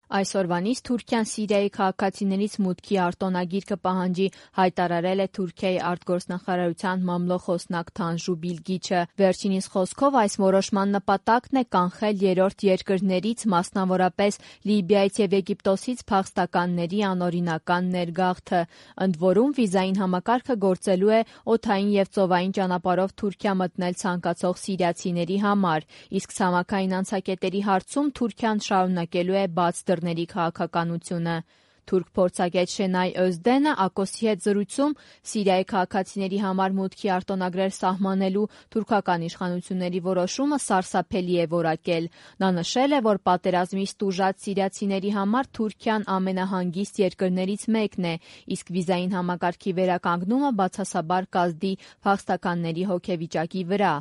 Այսօրվանից Թուրքիան Սիրիայի քաղաքացիներից մուտքի արտոնագիր կպահանջի, հայտարարել է Թուրքիայի արտգործնախարարության մամլոխոսնակ Թանժու Բիլգիչը։ Վերջինիս խոսքով այս որոշման նպատակն է կանխել երրորդ երկրներից, մասնավորապես Լիբիայից և Եգիպտոսից փախստականների անօրինական ներգաղթը։ Ընդ որում, վիզային համակարգը գործելու է օդային և ծովային ճանապարհով Թուրքիա մտնել ցանկացող սիրիացիների համար, իսկ ցամաքային անցակետերի հարցում Թուրքիան շարունակելու է բաց դռների քաղաքականությունը։ Թուրք փորձագետ Շենայ Օզդենը Ակոսի հետ զրույցում Սիրիայի քաղաքացիների համար մուտքի արտոնագրեր սահմանելու թուրքական իշխանությունների որոշումը սարսափելի է որակել։ Նա նշել է, որ պատերազմից տուժած սիրիացիների համար Թուրքիան ամենահանգիստ երկրներից մեկն է, իսկ վիզային համակարգի վերականգնումը բացասաբար կազդի փախստականների հոգեվիճակի վրա։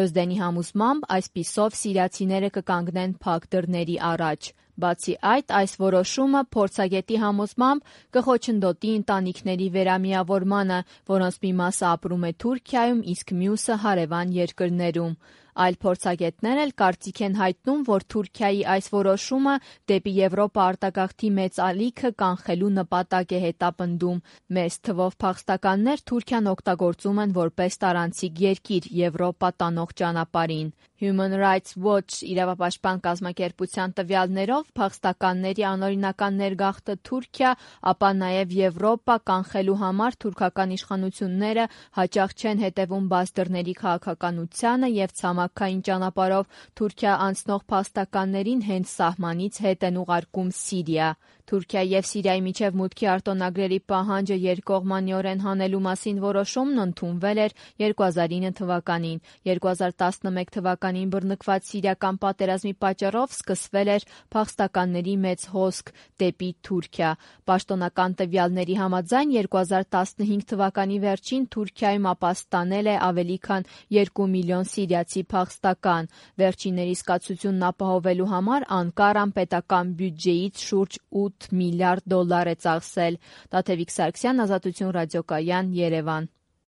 Օզդենի համոզմամբ այսպիսով սիրիացիները կկանգնեն փակ դռների առաջ։ Բացի այդ, այս որոշումը փորձագետի համոզմամբ կխոչընդոտի ընտանիքների վերամիավորմանը, որոնց մի մասը ապրում է Թուրքիայում, իսկ մյուսը հարևան երկրներում։ Այլ փորձագետներ էլ կարծիք են հայտնում, որ Թուրքիայի այս որոշումը դեպի Եվրոպա արտագաղթի մեծ ալիքը կանխելու նպատակ է հետապնդում։ Մեծ թվով փախստականներ Թուրքիան օգտագործում են որպես տարանցիկ երկիր Եվրոպա տանող ճանապարհին։ Human Rights Watch իրավապաշտպան կազմակերպության տվյալներով փախստականների անօրինական ներգաղթը Թուրքիա, ապա նաև Եվրոպա կանխելու համար թուրքական իշխանությունները հաճախ չեն հետևում բաց դռների քաղաքականությանը և ցամաքային ճանապարհով Թուրքիա անցնող փախստականներին հենց սահմանից հետ են ուղարկում Սիրիա։ Թուրքիայի և Սիրիայի միջև մուտքի արտոնագրերի պահանջը երկկողմանիորեն հանելու մասին որոշումն ընդունվել էր 2009 թվականին։ 2011 թվականին բռնկված սիրիական պատերազմի պատճառով սկսվել էր փախստականների մեծ հոսք դեպի Թուրքիա։ Պաշտոնական տվյալների համաձայն 2015 թվականի վերջին Թուրքիայում ապաստանել է ավելի քան 2 միլիոն սիրիացի փախստական։ Վերջինների զգացությունն ապահովելու համար Անկարան պետական բյուջեից շուրջ $8 միլիարդ է ծախսել։ Տաթևիկ Սարգսյան, Ազատություն ռադիոկայան, Երևան։